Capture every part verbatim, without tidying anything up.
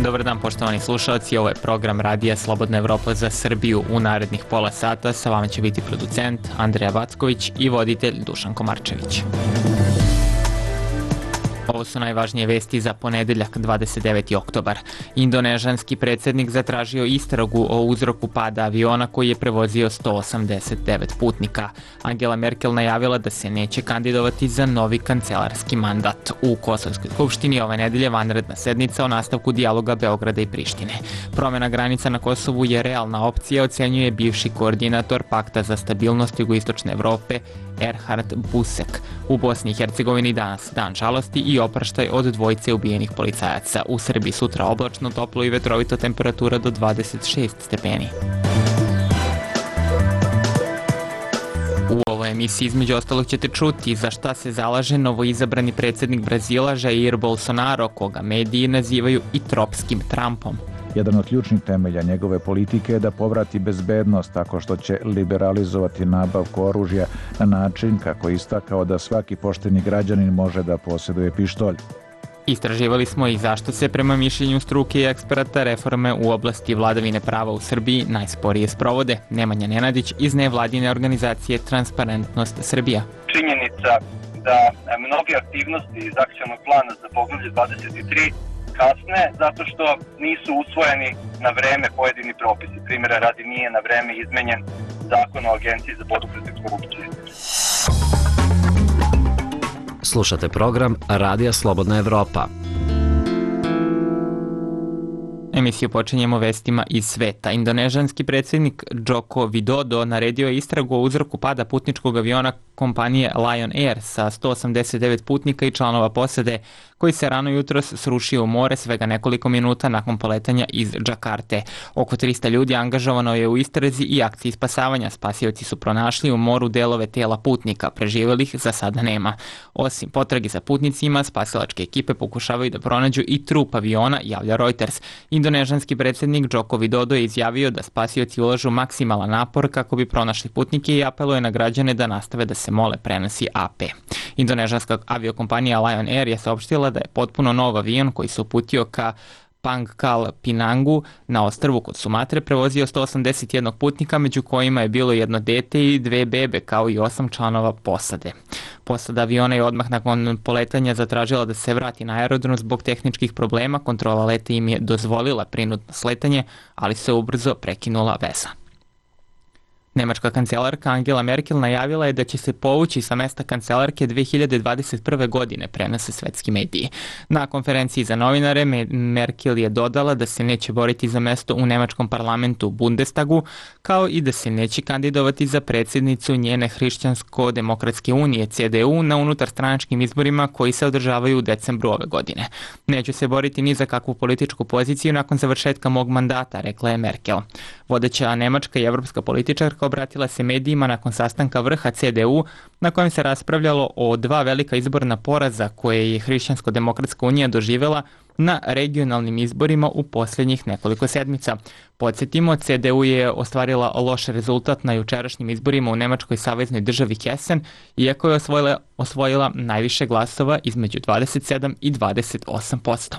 Dobar dan poštovani slušalci, ovo je program Radija Slobodna Evropa za Srbiju. U narednih pola sata sa vama će biti producent Andreja Vacković i voditelj Dušan Komarčević. Ovo su najvažnije vesti za ponedeljak dvadeset deveti oktobar. Indonežanski predsjednik zatražio istragu o uzroku pada aviona koji je prevozio sto osamdeset devet putnika. Angela Merkel najavila da se neće kandidovati za novi kancelarski mandat. U Kosovskoj skupštini ove nedelje vanredna sednica o nastavku dijaloga Beograda i Prištine. Promjena granica na Kosovu je realna opcija, ocenjuje bivši koordinator Pakta za stabilnost jugoistočne Evrope Erhard Busek. U Bosni i Hercegovini danas dan žalosti i opraštaj od dvojice ubijenih policajaca. U Srbiji sutra oblačno, toplo i vetrovito, temperatura do dvadeset šest stepeni. U ovoj emisiji između ostalog ćete čuti za šta se zalaže novoizabrani predsjednik Brazila Jair Bolsonaro, koga mediji nazivaju i tropskim Trumpom. Jedan od ključnih temelja njegove politike je da povrati bezbednost tako što će liberalizovati nabavku oružja na način kako je istakao da svaki pošteni građanin može da posjeduje pištolj. Istraživali smo i zašto se prema mišljenju struke i eksperata reforme u oblasti vladavine prava u Srbiji najsporije sprovode. Nemanja Nenadić iz nevladine organizacije Transparentnost Srbija. Činjenica da mnoge aktivnosti iz akcionog plana za poglavlje dvadeset tri kasne zato što nisu usvojeni na vreme pojedini propisi. Primjera radi, nije na vreme izmenjen zakon o Agenciji za borbu protiv korupcije. Slušate program Radija Slobodna Evropa. Emisiju počinjemo vestima iz sveta. Indonežanski predsjednik Joko Widodo naredio je istragu o uzroku pada putničkog aviona kompanije Lion Air sa sto osamdeset devet putnika i članova posade koji se rano jutros srušio u more svega nekoliko minuta nakon poletanja iz Džakarte. Oko trista ljudi angažovano je u istrazi i akciji spasavanja. Spasioci su pronašli u moru delove tela putnika, preživjelih za sada nema. Osim potrage za putnicima, spasilačke ekipe pokušavaju da pronađu i trup aviona, javlja Reuters. Indonežanski predsjednik Joko Widodo je izjavio da spasioci ulažu maksimalan napor kako bi pronašli putnike i apeluje na građane da nastave da se mole, prenosi A P. Indonežanska aviokompanija Lion Air je saopštila da je potpuno nov avion koji se uputio ka Pangkal Pinangu na ostrvu kod Sumatre prevozio sto osamdeset jedan putnika, među kojima je bilo jedno dete i dve bebe, kao i osam članova posade. Posada aviona je odmah nakon poletanja zatražila da se vrati na aerodrom zbog tehničkih problema. Kontrola leta im je dozvolila prinudno sletanje, ali se ubrzo prekinula veza. Nemačka kancelarka Angela Merkel najavila je da će se povući sa mesta kancelarke dve hiljade dvadeset prve. godine, prenose svetski mediji. Na konferenciji za novinare Merkel je dodala da se neće boriti za mesto u nemačkom parlamentu Bundestagu, kao i da se neće kandidovati za predsjednicu njene Hrišćansko-demokratske unije C D U na unutarstranačkim izborima koji se održavaju u decembru ove godine. Neću se boriti ni za kakvu političku poziciju nakon završetka mog mandata, rekla je Merkel. Vodeća nemačka i evropska političarka obratila se medijima nakon sastanka vrha C D U na kojem se raspravljalo o dva velika izborna poraza koje je Hrišćansko-demokratska unija doživjela na regionalnim izborima u posljednjih nekoliko sedmica. Podsjetimo, C D U je ostvarila loš rezultat na jučerašnjim izborima u nemačkoj saveznoj državi Hessen, iako je osvojila, osvojila najviše glasova između dvadeset sedam i dvadeset osam posto.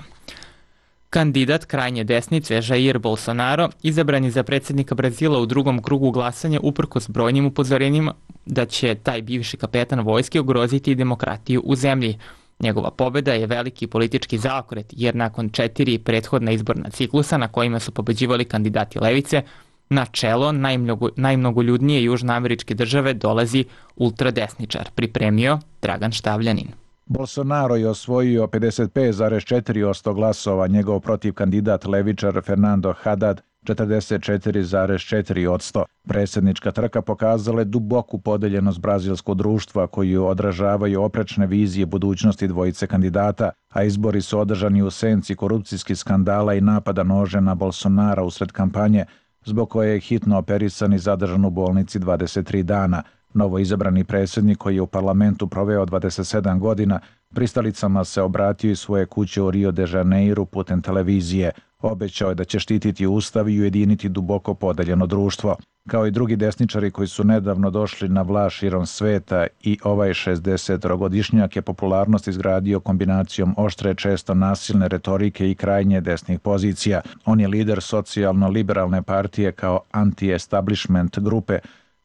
Kandidat krajnje desnice Jair Bolsonaro izabran je za predsjednika Brazila u drugom krugu glasanja uprkos brojnim upozorenjima da će taj bivši kapetan vojske ugroziti demokratiju u zemlji. Njegova pobjeda je veliki politički zaokret jer nakon četiri prethodna izborna ciklusa na kojima su pobeđivali kandidati levice, na čelo najmnogo, najmnogoljudnije južnoameričke države dolazi ultradesničar, pripremio Dragan Štavljanin. Bolsonaro je osvojio pedeset pet zarez četiri posto glasova, njegov protiv kandidat levičar Fernando Haddad četrdeset četiri zarez četiri posto. Predsjednička trka pokazala je duboku podeljenost brazilskog društva koju odražavaju oprečne vizije budućnosti dvojice kandidata, a izbori su održani u senci korupcijskih skandala i napada nože na Bolsonara usred kampanje, zbog koje je hitno operisan i zadržan u bolnici dvadeset tri dana. Novo izabrani predsjednik koji je u parlamentu proveo dvadeset sedam godina, pristalicama se obratio iz svoje kuće u Rio de Janeiru putem televizije. Obećao je da će štititi ustav i ujediniti duboko podeljeno društvo. kao i drugi desničari koji su nedavno došli na vlast širom sveta, i ovaj šezdesetogodišnjak je popularnost izgradio kombinacijom oštre, često nasilne retorike i krajnje desnih pozicija. On je lider socijalno-liberalne partije kao anti-establishment grupe,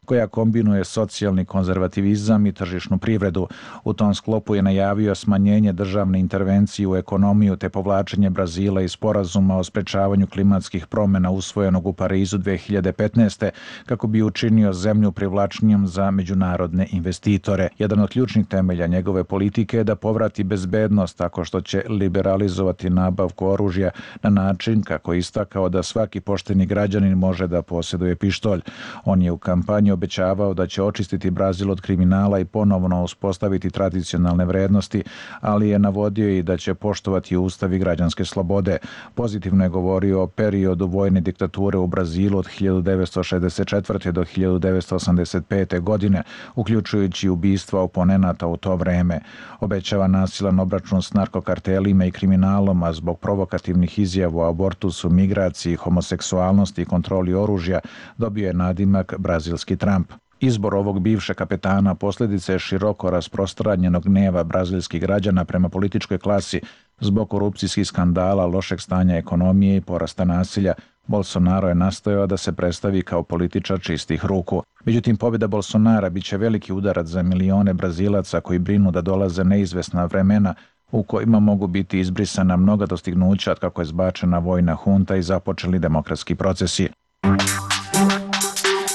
koja kombinuje socijalni konzervativizam i tržišnu privredu. U tom sklopu je najavio smanjenje državne intervencije u ekonomiju te povlačenje Brazila iz sporazuma o sprečavanju klimatskih promjena usvojenog u Parizu dve hiljade petnaeste. kako bi učinio zemlju privlačnijom za međunarodne investitore. Jedan od ključnih temelja njegove politike je da povrati bezbednost tako što će liberalizovati nabavku oružja na način kako je istakao da svaki pošteni građanin može da posjeduje pištolj. On je u kampanji obećavao da će očistiti Brazil od kriminala i ponovno uspostaviti tradicionalne vrednosti, ali je navodio i da će poštovati ustav i građanske slobode. Pozitivno je govorio o periodu vojne diktature u Brazilu od hiljadu devetsto šezdeset četvrte. do hiljadu devetsto osamdeset pete. godine, uključujući ubistva oponenata u to vreme. Obećava nasilan obračun s narkokartelima i kriminalom, a zbog provokativnih izjava o abortusu, migraciji, homoseksualnosti i kontroli oružja dobio je nadimak brazilski Trump. Izbor ovog bivšeg kapetana posljedica je široko rasprostranjenog gneva brazilskih građana prema političkoj klasi zbog korupcijskih skandala, lošeg stanja ekonomije i porasta nasilja. Bolsonaro je nastojao da se predstavi kao političar čistih ruku. Međutim, pobjeda Bolsonara biće veliki udarac za milione Brazilaca koji brinu da dolaze neizvesna vremena u kojima mogu biti izbrisana mnoga dostignuća od kako je zbačena vojna hunta i započeli demokratski procesi.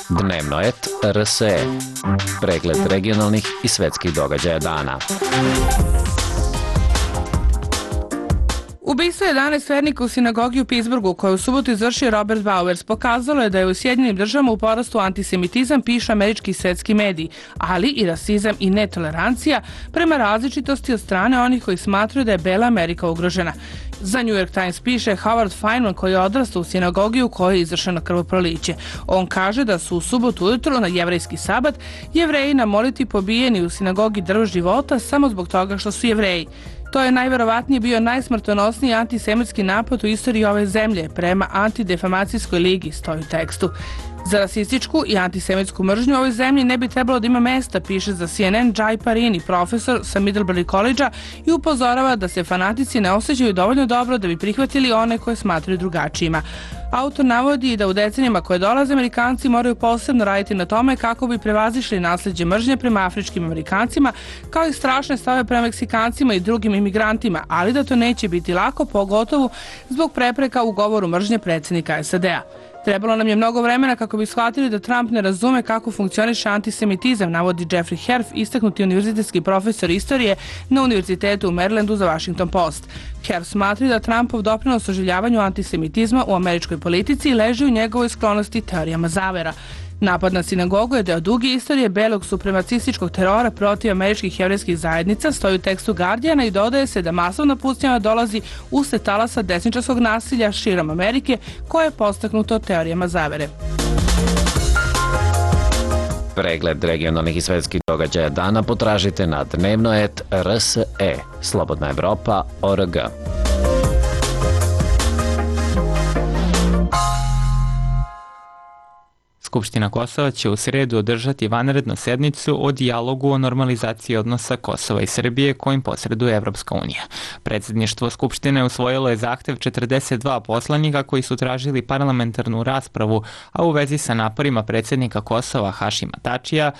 Dnevno et R S E. Pregled regionalnih i svetskih događaja dana. Ubistvo jedanaest vernika u sinagogi u Pittsburghu, koje u subotu izvršio Robert Bowers, pokazalo je da je u Sjedinjenim državama u porastu antisemitizam, pišu američki i svetski mediji, ali i rasizam i netolerancija prema različitosti od strane onih koji smatraju da je bela Amerika ugrožena. Za New York Times piše Howard Feynman, koji je odrastao u sinagogi u kojoj je izvršeno krvoproliće. On kaže da su u subotu ujutro na jevrejski sabat Jevreji na molitvi pobijeni u sinagogi Drvo života samo zbog toga što su Jevreji. To je najverovatnije bio najsmrtonosniji antisemitski napad u istoriji ove zemlje, prema Antidefamacijskoj ligi, stoji u tekstu. Za rasističku i antisemitsku mržnju u ovoj zemlji ne bi trebalo da ima mesta, piše za C N N Jay Parini, profesor sa Middlebury College-a, i upozorava da se fanatici ne osjećaju dovoljno dobro da bi prihvatili one koje smatraju drugačijima. Autor navodi da u decenijama koje dolaze Amerikanci moraju posebno raditi na tome kako bi prevazišli nasljeđe mržnje prema afričkim Amerikancima, kao i strašne stave prema Meksikancima i drugim imigrantima, ali da to neće biti lako, pogotovo zbog prepreka u govoru mržnje predsjednika S A D-a. Trebalo nam je mnogo vremena kako bi shvatili da Trump ne razume kako funkcioniše antisemitizam, navodi Jeffrey Herf, istaknuti univerzitetski profesor istorije na Univerzitetu u Marylandu za Washington Post. Herf smatra da Trumpov doprinos oživljavanju antisemitizma u američkoj politici leži u njegovoj sklonosti teorijama zavera. Napad na sinagogu je deo duge istorije belog supremacističkog terora protiv američkih jevrejskih zajednica, stoji u tekstu Guardiana, i dodaje se da masovna pucnjava dolazi usled talasa desničarskog nasilja širom Amerike, koje je postaknuto teorijama zavere. Pregled regionalnih i svetskih događaja dana potražite na dnevno et R S E, Slobodna Evropa, O R G. Skupština Kosova će u sredu održati vanrednu sednicu o dijalogu o normalizaciji odnosa Kosova i Srbije kojim posreduje Evropska unija. Predsjedništvo Skupštine usvojilo je zahtev četrdeset dva poslanika koji su tražili parlamentarnu raspravu, a u vezi sa naporima predsjednika Kosova Hašima Tačija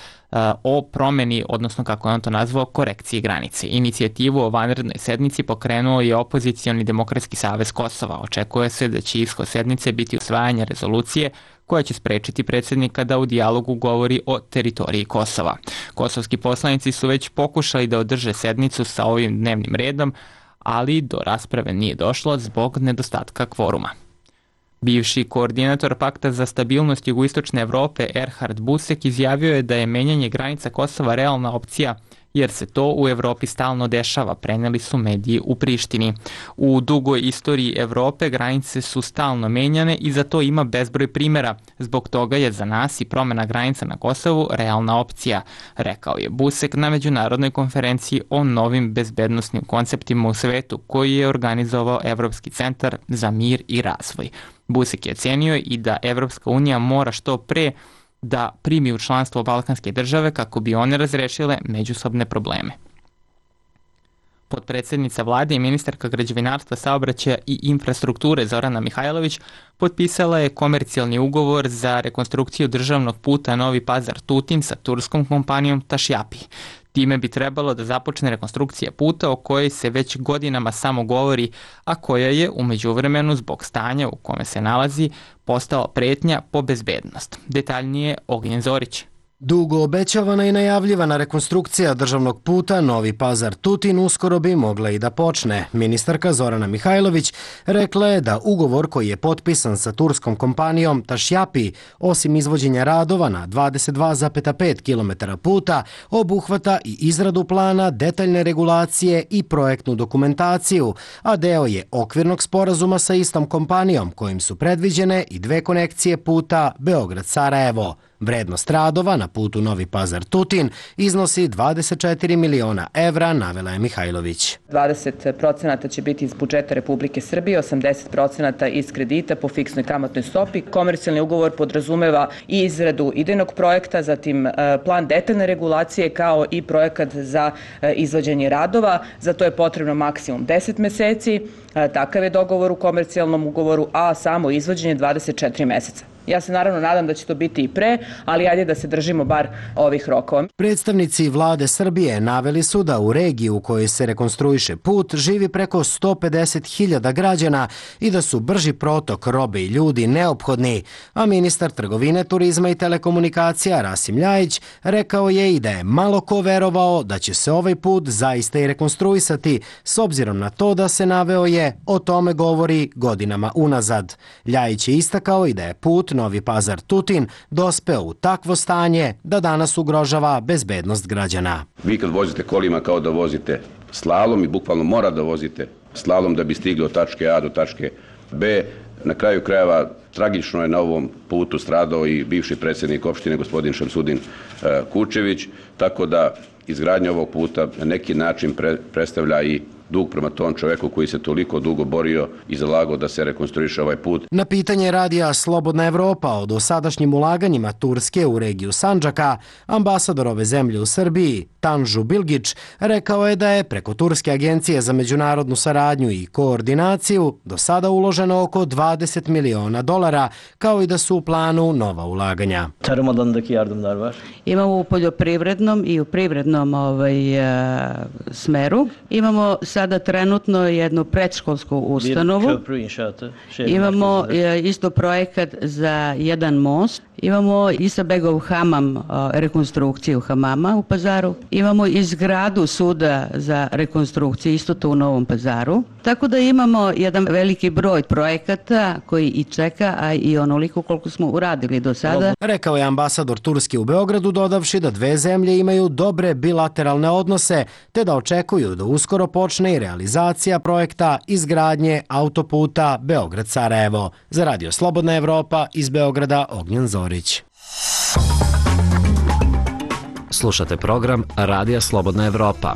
o promjeni, odnosno kako je on to nazvao, korekciji granice. Inicijativu o vanrednoj sednici pokrenuo je opozicioni Demokratski savez Kosova. Očekuje se da će ishod sednice biti usvajanje rezolucije koja će sprečiti predsjednika da u dijalogu govori o teritoriji Kosova. Kosovski poslanici su već pokušali da održe sednicu sa ovim dnevnim redom, ali do rasprave nije došlo zbog nedostatka kvoruma. Bivši koordinator Pakta za stabilnost jugoistočne Evrope Erhard Busek izjavio je da je menjanje granica Kosova realna opcija, jer se to u Evropi stalno dešava, preneli su mediji u Prištini. U dugoj istoriji Evrope granice su stalno menjane i za to ima bezbroj primjera. Zbog toga je za nas i promjena granica na Kosovu realna opcija, rekao je Busek na međunarodnoj konferenciji o novim bezbednosnim konceptima u svetu koji je organizovao Evropski centar za mir i razvoj. Busek je ocenio i da Evropska unija mora što pre da primi u članstvo balkanske države kako bi one razrešile međusobne probleme. Potpredsjednica vlade i ministarka građevinarstva, saobraćaja i infrastrukture Zorana Mihajlović potpisala je komercijalni ugovor za rekonstrukciju državnog puta Novi Pazar-Tutin sa turskom kompanijom Tašjapi. Time bi trebalo da započne rekonstrukcija puta o kojoj se već godinama samo govori, a koja je u međuvremenu zbog stanja u kome se nalazi postala pretnja po bezbednost. Detaljnije Ognjen Zorić. Dugo obećavana i najavljivana rekonstrukcija državnog puta Novi Pazar-Tutin uskoro bi mogla i da počne. Ministarka Zorana Mihajlović rekla je da ugovor koji je potpisan sa turskom kompanijom Tašjapi, osim izvođenja radova na dvadeset dva zarez pet kilometara puta, obuhvata i izradu plana, detaljne regulacije i projektnu dokumentaciju, a deo je okvirnog sporazuma sa istom kompanijom kojim su predviđene i dve konekcije puta Beograd-Sarajevo. Vrednost radova na putu Novi Pazar-Tutin iznosi dvadeset četiri miliona evra, navela je Mihajlović. dvadeset procenata će biti iz budžeta Republike Srbije, osamdeset procenata iz kredita po fiksnoj kamatnoj stopi. Komercijalni ugovor podrazumeva i izradu idejnog projekta, zatim plan detaljne regulacije kao i projekat za izvođenje radova. Za to je potrebno maksimum deset meseci. Takav je dogovor u komercijalnom ugovoru, a samo izvođenje dvadeset četiri meseca. Ja se naravno nadam da će to biti i pre, ali ajde da se držimo bar ovih rokova. Predstavnici vlade Srbije naveli su da u regiji u kojoj se rekonstruiše put živi preko sto pedeset hiljada građana i da su brži protok robe i ljudi neophodni, a ministar trgovine, turizma i telekomunikacija Rasim Ljajić rekao je i da je malo ko verovao da će se ovaj put zaista i rekonstruisati, s obzirom na to da se naveo je o tome govori godinama unazad. Ljajić je istakao i da je put Novi Pazar-Tutin dospeo u takvo stanje da danas ugrožava bezbednost građana. Vi kad vozite kolima kao da vozite slalom i bukvalno mora da vozite slalom da bi stigli od tačke A do tačke B. Na kraju krajeva tragično je na ovom putu stradao i bivši predsjednik opštine gospodin Šamsudin Kučević, tako da izgradnja ovog puta na neki način pre, predstavlja i dug prema tom čoveku koji se toliko dugo borio i zalagao da se rekonstruiše ovaj put. Na pitanje radija Slobodna Evropa o dosadašnjim ulaganjima Turske u regiju Sandžaka, ambasador ove zemlje u Srbiji, Tanžu Bilgić, rekao je da je preko Turske agencije za međunarodnu saradnju i koordinaciju do sada uloženo oko dvadeset miliona dolara, kao i da su u planu nova ulaganja. Tarım alanındaki yardımlar var. Imamo u poljoprivrednom i u privrednom ovaj, smeru. Imamo sada trenutno jednu predškolsku ustanovu. Imamo isto projekat za jedan most. Imamo Isabegov hamam, rekonstrukciju hamama u Pazaru. Imamo izgradu suda za rekonstrukciju, isto to u Novom Pazaru. Tako da imamo jedan veliki broj projekata koji i čeka, a i onoliko koliko smo uradili do sada. Rekao je ambasador Turske u Beogradu, dodavši da dve zemlje imaju dobre bilateralne odnose, te da očekuju da uskoro počne i realizacija projekta izgradnje autoputa Beograd-Sarajevo. Za Radio Slobodna Evropa iz Beograda, Ognjen Zorić. Slušate program Radija Slobodna Evropa.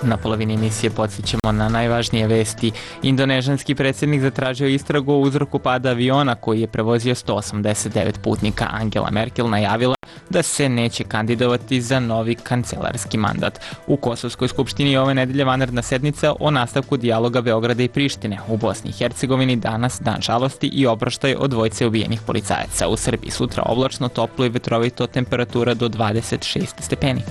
Na polovini emisije podsjećamo na najvažnije vesti. Indonežanski predsjednik zatražio istragu o uzroku pada aviona koji je prevozio sto osamdeset devet putnika. Angela Merkel najavila da se neće kandidovati za novi kancelarski mandat. U Kosovskoj skupštini je ove nedelje vanredna sednica o nastavku dijaloga Beograda i Prištine. U Bosni i Hercegovini danas dan žalosti i oproštaj od dvojice ubijenih policajaca. U Srbiji sutra oblačno, toplo i vetrovito, temperatura do dvadeset šest stepeni.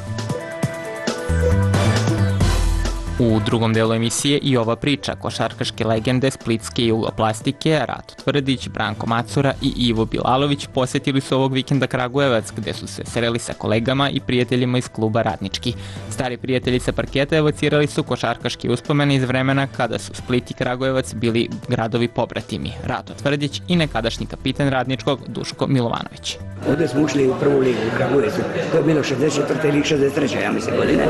U drugom delu emisije i ova priča. Košarkaške legende splitske jugoplastike Rato Tvrdić, Branko Macura i Ivo Bilalović posjetili su ovog vikenda Kragujevac, gde su se sreli sa kolegama i prijateljima iz kluba Radnički. Stari prijatelji sa parketa evocirali su košarkaške uspomene iz vremena kada su Split i Kragujevac bili gradovi pobratimi. Rato Tvrdić i nekadašnji kapitan Radničkog Duško Milovanović. Ovdje smo ušli u prvu ligu u Kragujevcu, to je bilo šezdeset četvrte ili šezdeset treće ja mislim godine.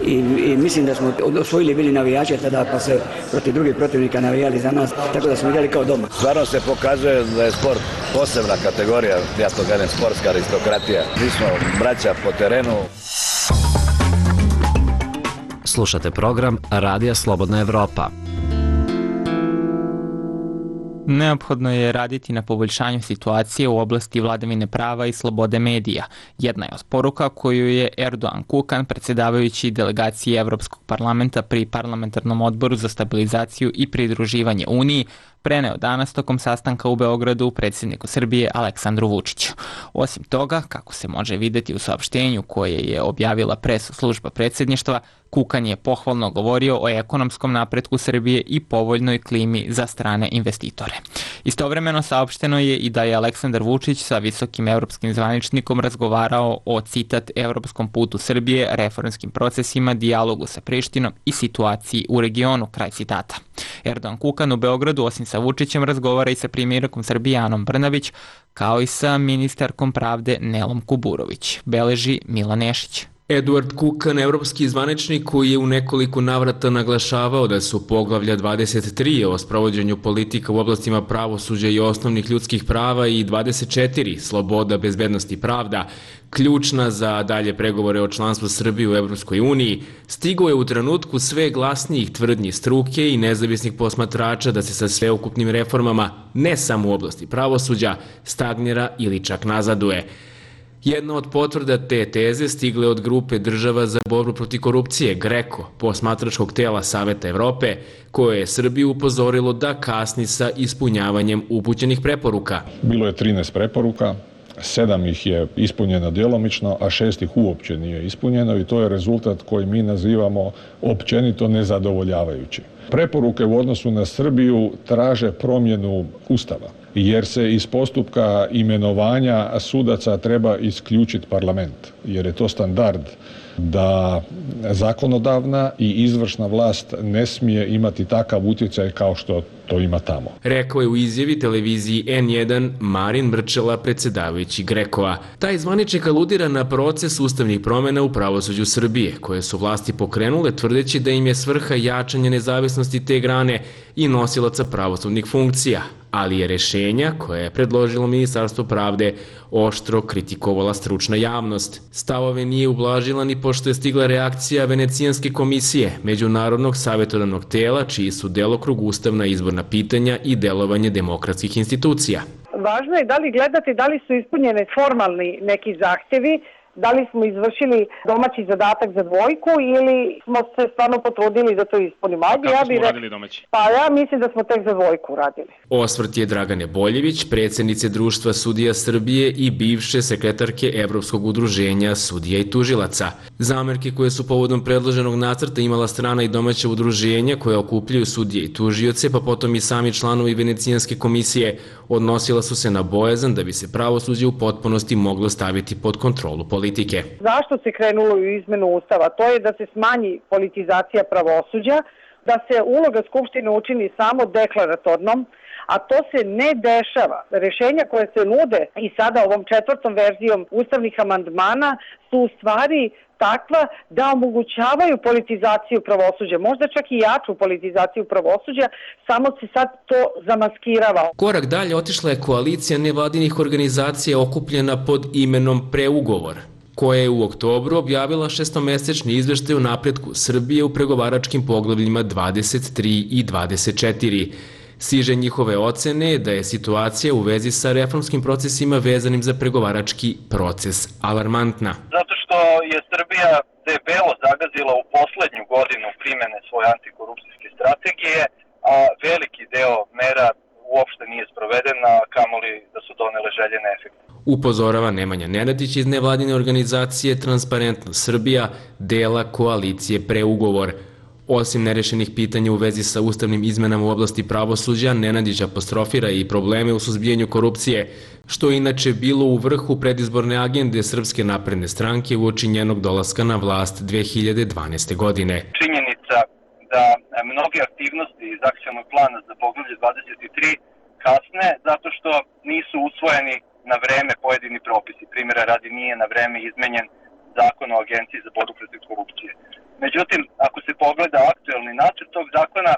I, i mislim da smo osvojili bili navijače tada, pa se protiv drugih protivnika navijali za nas, tako da smo igrali kao doma. Stvarno se pokazuje da je sport posebna kategorija, ja to kažem sportska aristokratija. Mi smo braća po terenu. Slušate program Radija Slobodna Evropa. Neophodno je raditi na poboljšanju situacije u oblasti vladavine prava i slobode medija. Jedna je od poruka koju je Erdogan Kukan, predsjedavajući delegaciji Evropskog parlamenta pri Parlamentarnom odboru za stabilizaciju i pridruživanje Uniji, preneo danas tokom sastanka u Beogradu predsjedniku Srbije Aleksandru Vučiću. Osim toga, kako se može vidjeti u saopštenju koje je objavila pres služba predsjedništva, Kukan je pohvalno govorio o ekonomskom napretku Srbije i povoljnoj klimi za strane investitore. Istovremeno saopšteno je i da je Aleksandar Vučić sa visokim evropskim zvaničnikom razgovarao o, citat, evropskom putu Srbije, reformskim procesima, dijalogu sa Prištinom i situaciji u regionu, kraj citata. Erdogan Kukan u Beogradu osim sa Vučićem razgovara i sa premijerkom Srbije Anom Brnabić, kao i sa ministarkom pravde Nelom Kuburović, beleži Milan Nešić. Eduard Kukan, evropski zvaničnik koji je u nekoliko navrata naglašavao da su poglavlja dvadeset tri o sprovođenju politika u oblastima pravosuđa i osnovnih ljudskih prava i dvadeset četiri sloboda, bezbednost i pravda ključna za dalje pregovore o članstvu Srbije u Evropskoj uniji, stigao je u trenutku sve glasnijih tvrdnji struke i nezavisnih posmatrača da se sa sveukupnim reformama, ne samo u oblasti pravosuđa, stagnira ili čak nazaduje. Jedna od potvrda te teze stigle od grupe država za borbu protiv korupcije, GRECO, posmatračkog tela Saveta Evrope, koje je Srbiju upozorilo da kasni sa ispunjavanjem upućenih preporuka. Bilo je trinaest preporuka, sedam ih je ispunjeno djelomično, a šest ih uopće nije ispunjeno i to je rezultat koji mi nazivamo općenito nezadovoljavajući. Preporuke u odnosu na Srbiju traže promjenu Ustava, jer se iz postupka imenovanja sudaca treba isključiti parlament, jer je to standard da zakonodavna i izvršna vlast ne smije imati takav utjecaj kao što to ima tamo. Rekao je u izjavi televiziji en jedan Marin Mrčela, predsjedavajući GRECO-a. Taj zvaničnik aludira na proces ustavnih promjena u pravosuđu Srbije, koje su vlasti pokrenule tvrdeći da im je svrha jačanje nezavisnosti te grane i nosilaca pravosudnih funkcija, ali je rešenja koje je predložilo Ministarstvo pravde oštro kritikovala stručna javnost. Stavove nije ublažila ni pošto je stigla reakcija Venecijanske komisije, međunarodnog savjetodavnog tela, čiji su delokrug ustavna izborna pitanja i delovanje demokratskih institucija. Važno je da li gledati da li su ispunjene formalni neki zahtjevi, da li smo izvršili domaći zadatak za dvojku ili smo se stvarno potrudili da to ispunimo. Ajde, kako ja smo uradili domaći? Pa ja mislim da smo tek za dvojku uradili. Osvrt je Dragane Boljević, predsjednice Društva sudija Srbije i bivše sekretarke Evropskog udruženja sudija i tužilaca. Zamerke koje su povodom predloženog nacrta imala strana i domaća udruženja koja okupljaju sudije i tužioce, pa potom i sami članovi Venecijanske komisije, odnosila su se na bojazan da bi se pravosuđe u potpunosti moglo staviti pod kontrolu politike. Zašto se krenulo u izmenu Ustava? To je da se smanji politizacija pravosuđa, da se uloga Skupštine učini samo deklaratornom, a to se ne dešava. Rešenja koje se nude i sada ovom četvrtom verzijom ustavnih amandmana su u stvari takva da omogućavaju politizaciju pravosuđa, možda čak i jaču politizaciju pravosuđa, samo se sad to zamaskirava. Korak dalje otišla je koalicija nevladinih organizacija okupljena pod imenom Preugovor, koja je u oktobru objavila šestomesečni izveštaj o napretku Srbije u pregovaračkim poglavljima dvadeset tri i dvadeset četiri. Siže njihove ocene je da je situacija u vezi sa reformskim procesima vezanim za pregovarački proces alarmantna. Zato što je Srbija debelo zagazila u poslednju godinu primjene svoje antikorupcijske strategije, a veliki deo mera uopšte nije sprovedena, kamoli da su donele željene efekte. Upozorava Nemanja Nenadić iz nevladine organizacije Transparentno Srbija, dela koalicije Preugovor. Osim nerešenih pitanja u vezi sa ustavnim izmenama u oblasti pravosuđa, Nenadić apostrofira i probleme u suzbijanju korupcije, što je inače bilo u vrhu predizborne agende Srpske napredne stranke uoči njenog dolaska na vlast dve hiljade dvanaeste. godine. Činjenica da mnoge aktivnosti iz akcionog plana za poglavlje dvadeset tri kasne zato što nisu usvojeni na vreme pojedini propisi. Primjera radi, nije na vreme izmenjen zakon o Agenciji za borbu protiv korupcije. Međutim, ako se pogleda aktuelni nacrt tog zakona,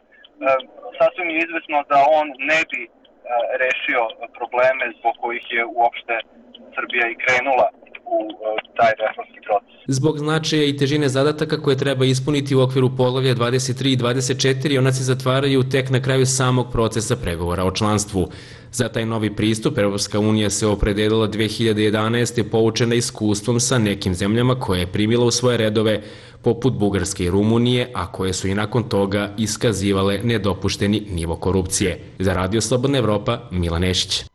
sasvim je izvesno da on ne bi rešio probleme zbog kojih je uopšte Srbija i krenula u u taj reformski proces. Zbog značaja i težine zadataka koje treba ispuniti u okviru poglavlja dvadeset tri i dvadeset četiri, ona se zatvaraju tek na kraju samog procesa pregovora o članstvu. Za taj novi pristup Evropska unija se opredelila dve hiljade jedanaeste. poučena iskustvom sa nekim zemljama koje je primila u svoje redove, poput Bugarske i Rumunije, a koje su i nakon toga iskazivale nedopušteni nivo korupcije. Za Radio Slobodna Evropa, Milan Nešić.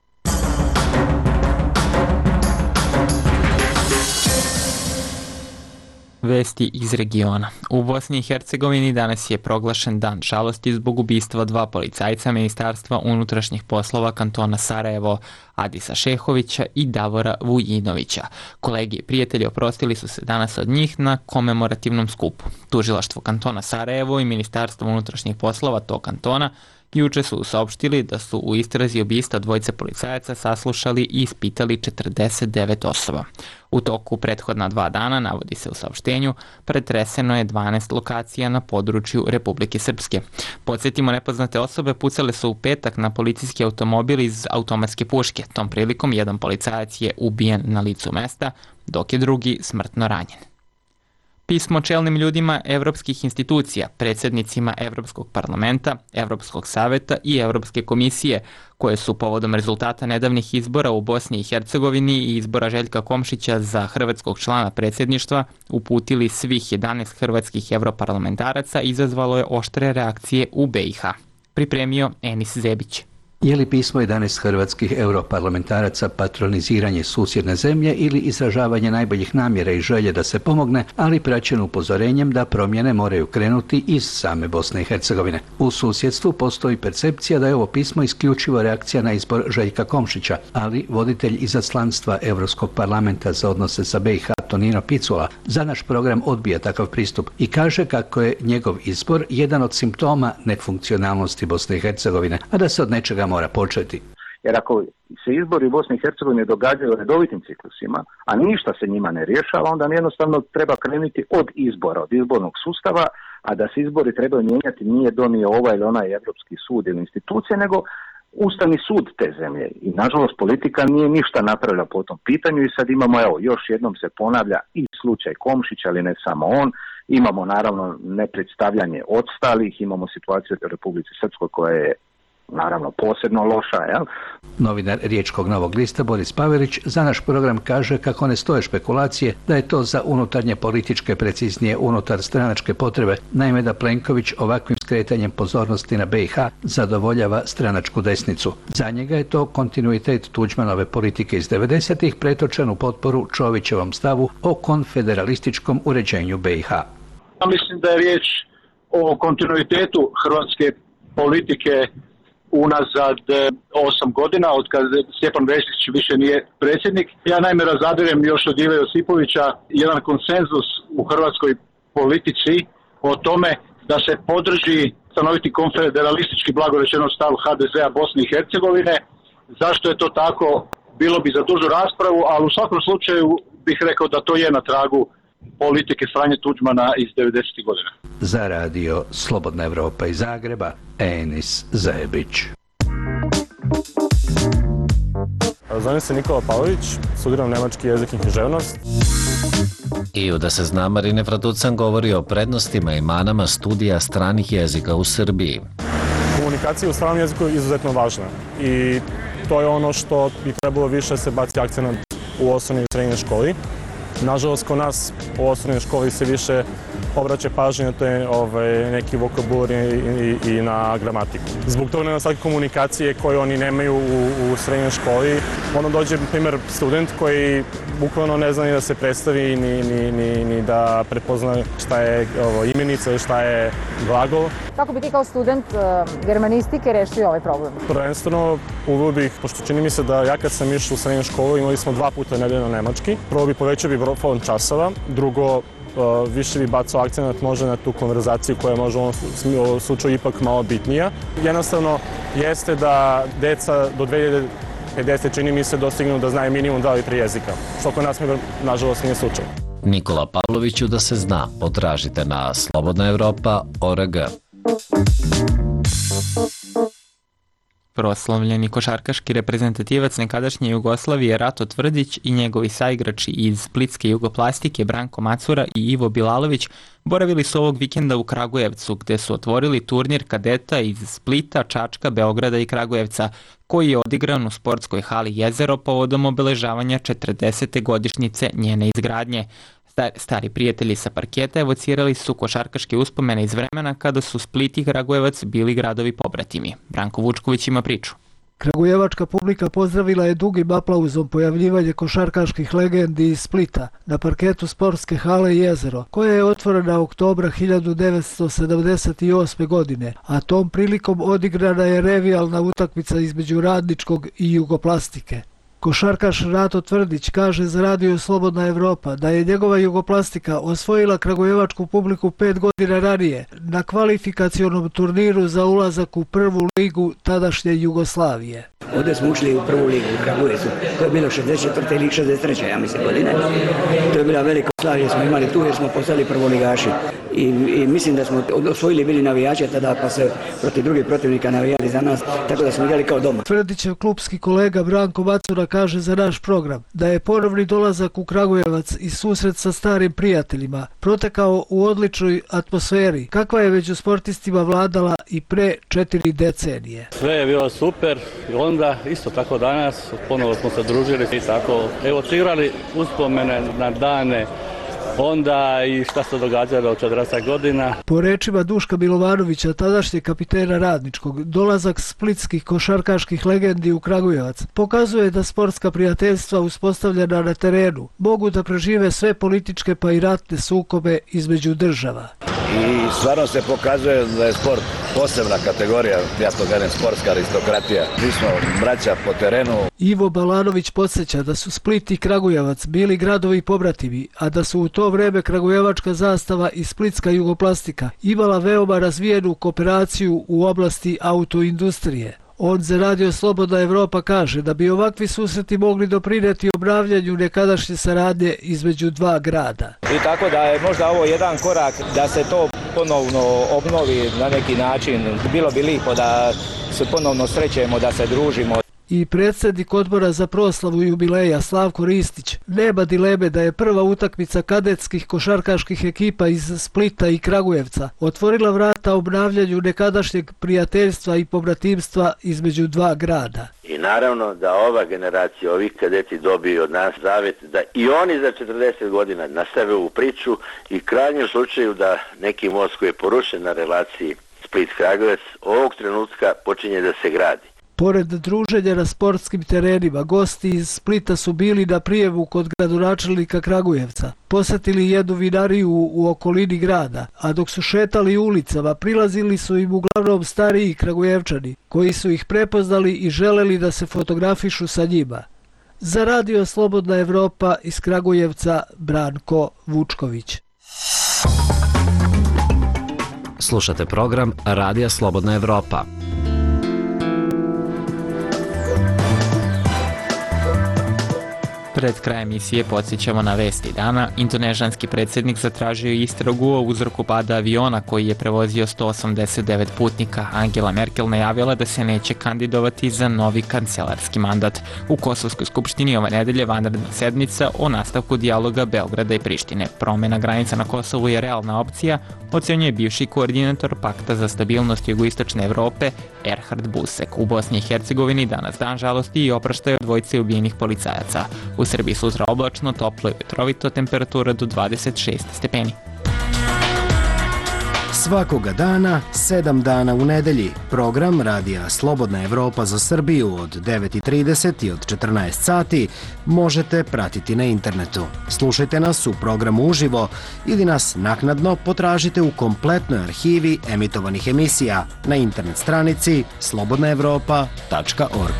Vesti iz regiona. U Bosni i Hercegovini danas je proglašen dan žalosti zbog ubistva dva policajca Ministarstva unutrašnjih poslova kantona Sarajevo, Adisa Šehovića i Davora Vujinovića. Kolegi i prijatelji oprostili su se danas od njih na komemorativnom skupu. Tužilaštvo kantona Sarajevo i Ministarstvo unutrašnjih poslova tog kantona juče su saopštili da su u istrazi ubistva dvojice policajaca saslušali i ispitali četrdeset devet osoba. U toku prethodna dva dana, navodi se u saopštenju, pretreseno je dvanaest lokacija na području Republike Srpske. Podsjetimo, nepoznate osobe pucale su u petak na policijski automobil iz automatske puške. Tom prilikom jedan policajac je ubijen na licu mesta, dok je drugi smrtno ranjen. Pismo čelnim ljudima evropskih institucija, predsjednicima Evropskog parlamenta, Evropskog saveta i Evropske komisije, koje su povodom rezultata nedavnih izbora u Bosni i Hercegovini i izbora Željka Komšića za hrvatskog člana predsjedništva uputili svih jedanaest hrvatskih europarlamentaraca, izazvalo je oštre reakcije u B i H. Pripremio Enis Zebić. Je li pismo jedanaest hrvatskih europarlamentaraca patroniziranje susjedne zemlje ili izražavanje najboljih namjera i želje da se pomogne, ali praćeno upozorenjem da promjene moraju krenuti iz same Bosne i Hercegovine? U susjedstvu postoji percepcija da je ovo pismo isključivo reakcija na izbor Željka Komšića, ali voditelj izaslanstva Europskog parlamenta za odnose sa B i H Tonino Picula za naš program odbija takav pristup i kaže kako je njegov izbor jedan od simptoma nefunkcionalnosti Bosne i Hercegovine, a da se od nečega mora početi. Jer ako se izbori u Bosni i Hercegovini događaju u redovitim ciklusima, a ništa se njima ne rješava, onda jednostavno treba krenuti od izbora, od izbornog sustava, a da se izbori trebaju mijenjati nije donio ovaj ili onaj Evropski sud ili institucije, nego Ustavni sud te zemlje. I nažalost politika nije ništa napravila po tom pitanju i sad imamo, evo, još jednom se ponavlja i slučaj Komšića, ali ne samo on. Imamo naravno nepredstavljanje odstalih, imamo situaciju u Republici Srpskoj koja je naravno posebno loša, jel? Novinar Riječkog Novog lista Boris Pavelić za naš program kaže kako ne stoje špekulacije da je to za unutarnje političke, preciznije unutar stranačke potrebe, naime da Plenković ovakvim skretanjem pozornosti na B i H zadovoljava stranačku desnicu. Za njega je to kontinuitet Tuđmanove politike iz devedesetih pretočen u potporu Čovićevom stavu o konfederalističkom uređenju B i H. Ja mislim da je riječ o kontinuitetu hrvatske politike unazad osam godina, od kad Stjepan Mesić više nije predsjednik. Ja naime razadirem još od Ive Josipovića jedan konsenzus u hrvatskoj politici o tome da se podrži stanoviti konfederalistički, blagorečeno stav H D Z-a Bosne i Hercegovine. Zašto je to tako, bilo bi za dužu raspravu, ali u svakom slučaju bih rekao da to je na tragu politike Franje Tuđmana iz devedesetih godina. Za radio Slobodna Evropa iz Zagreba, Enis Zebić. Zovem se Nikola Pavlović, studiram nemački jezik i književnost. I u Da se zna, Marine Fratucan govori o prednostima i manama studija stranih jezika u Srbiji. Komunikacija u stranom jeziku je izuzetno važna i to je ono što bi trebalo više se baci akcenat u osnovnoj i srednjoj školi. Nažalost, kod nas u osnovnoj školi se više obraća pažnje na te ovaj, neki vokabular i, i, i na gramatiku. Zbog toga nedostatka komunikacije koje oni nemaju u, u srednjoj školi, ono dođe, na primjer, student koji bukvalno ne zna ni da se predstavi, ni, ni, ni, ni da prepozna šta je ovo, imenica ili šta je glagol. Kako bi ti kao student uh, germanistike rešio ovaj problem? Prvenstveno uveo bih, pošto čini mi se da ja kad sam išao u srednju školu imali smo dva puta nedeljno nemački. Prvo bi povećao bi fond časova, drugo Uh, više bi bacao akcenat možda na tu konverzaciju koja je možda u ovom slučaju ipak malo bitnija. Jednostavno jeste da deca do dve hiljade pedesete čini mi se dostignu da znaju minimum dva ili tri jezika, što kod nas nažalost nije slučaj. Nikola Pavloviću Da se zna, potražite na slobodna evropa tačka org. Proslavljeni košarkaški reprezentativac nekadašnje Jugoslavije Rato Tvrdić i njegovi saigrači iz splitske jugoplastike Branko Macura i Ivo Bilalović boravili su ovog vikenda u Kragujevcu, gde su otvorili turnir kadeta iz Splita, Čačka, Beograda i Kragujevca, koji je odigran u sportskoj hali Jezero povodom obeležavanja četrdesete godišnjice njene izgradnje. Stari prijatelji sa parketa evocirali su košarkaške uspomene iz vremena kada su Split i Kragujevac bili gradovi pobratimi. Branko Vučković ima priču. Kragujevačka publika pozdravila je dugim aplauzom pojavljivanje košarkaških legendi iz Splita na parketu sportske hale Jezero, koja je otvorena oktobra hiljadu devetsto sedamdeset osme. godine, a tom prilikom odigrana je revijalna utakmica između Radničkog i Jugoplastike. Košarkaš Rato Tvrdić kaže za radio Slobodna Evropa da je njegova Jugoplastika osvojila kragujevačku publiku pet godina ranije na kvalifikacionom turniru za ulazak u prvu ligu tadašnje Jugoslavije. Ovdje smo ušli u prvu ligu u Kragujevcu, to je bilo šezdeset četvrte ili šezdeset treće ja mislim godine. To je bila velika Slavija, smo imali tu jer smo postali prvoligaši. I, i mislim da smo osvojili bili navijače tada pa se protiv drugih protivnika navijali za nas, tako da smo igrali kao doma. Tvrdićev klubski kolega Branko Macura kaže za naš program da je ponovni dolazak u Kragujevac i susret sa starim prijateljima protekao u odličnoj atmosferi, kakva je među sportistima vladala i pre četiri decenije. Sve je bilo super i onda isto tako danas ponovo smo se družili i tako evo igrali uspomene na dane onda i šta se događalo od četrdeset godina. Po rečima Duška Milovanovića, tadašnjeg kapitena Radničkog, dolazak splitskih košarkaških legendi u Kragujevac pokazuje da sportska prijateljstva uspostavljena na terenu mogu da prežive sve političke pa i ratne sukobe između država. I stvarno se pokazuje da je sport posebna kategorija, ja to kažem sportska aristokratija. Mi smo braća po terenu. Ivo Balanović podsjeća da su Split i Kragujevac bili gradovi pobratimi, a da su u to vreme kragujevačka zastava i splitska Jugoplastika imala veoma razvijenu kooperaciju u oblasti autoindustrije. On za radio Slobodna Evropa kaže da bi ovakvi susreti mogli doprineti obnavljanju nekadašnje saradnje između dva grada. I tako da je možda ovo jedan korak da se to ponovno obnovi na neki način. Bilo bi lijepo da se ponovno srećemo, da se družimo. I predsjednik odbora za proslavu jubileja Slavko Ristić nema dileme da je prva utakmica kadetskih košarkaških ekipa iz Splita i Kragujevca otvorila vrata obnavljanju nekadašnjeg prijateljstva i pobratimstva između dva grada. I naravno da ova generacija, ovih kadeti dobiju od nas zavjet da i oni za četrdeset godina nastave ovu priču i krajnjem slučaju da neki most koji je porušen na relaciji Split-Kragujevac ovog trenutka počinje da se gradi. Pored druženja na sportskim terenima, gosti iz Splita su bili na prijevu kod gradonačelnika Kragujevca. Posjetili jednu vinariju u okolini grada, a dok su šetali ulicama, prilazili su im uglavnom stariji Kragujevčani, koji su ih prepoznali i želeli da se fotografišu sa njima. Za radio Slobodna Evropa iz Kragujevca, Branko Vučković. Slušate program Radija Slobodna Evropa. Pred krajem emisije podsjećamo na vesti dana. Indonežanski predsjednik zatražio istragu o uzroku pada aviona koji je prevozio sto osamdeset devet putnika. Angela Merkel najavila da se neće kandidovati za novi kancelarski mandat. U Kosovskoj skupštini ove nedelje vanredna sedmica o nastavku dijaloga Beograda i Prištine. Promjena granica na Kosovu je realna opcija, ocenjuje bivši koordinator Pakta za stabilnost jugoistočne Evrope Erhard Busek. U Bosni i Hercegovini danas dan žalosti i oproštaj od dvojice ubijenih policajaca. U Srbiji sutra oblačno, toplo i vetrovito, temperatura do dvadeset šest stepeni. Svakoga dana, sedam dana u nedelji. Program Radija Slobodna Evropa za Srbiju od devet i trideset i od četrnaest sati možete pratiti na internetu. Slušajte nas u programu uživo ili nas naknadno potražite u kompletnoj arhivi emitovanih emisija na internet stranici slobodna evropa tačka org.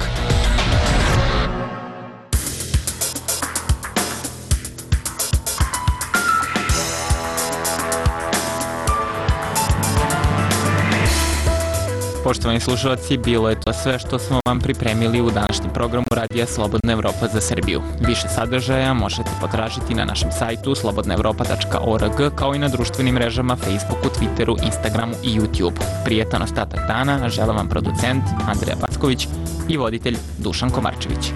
Poštovani slušalci, bilo je to sve što smo vam pripremili u današnjem programu Radija Slobodna Evropa za Srbiju. Više sadržaja možete potražiti na našem sajtu slobodna evropa tačka org, kao i na društvenim mrežama Facebooku, Twitteru, Instagramu i YouTubeu. Prijetan ostatak dana žele vam producent Andreja Packović i voditelj Dušan Komarčević.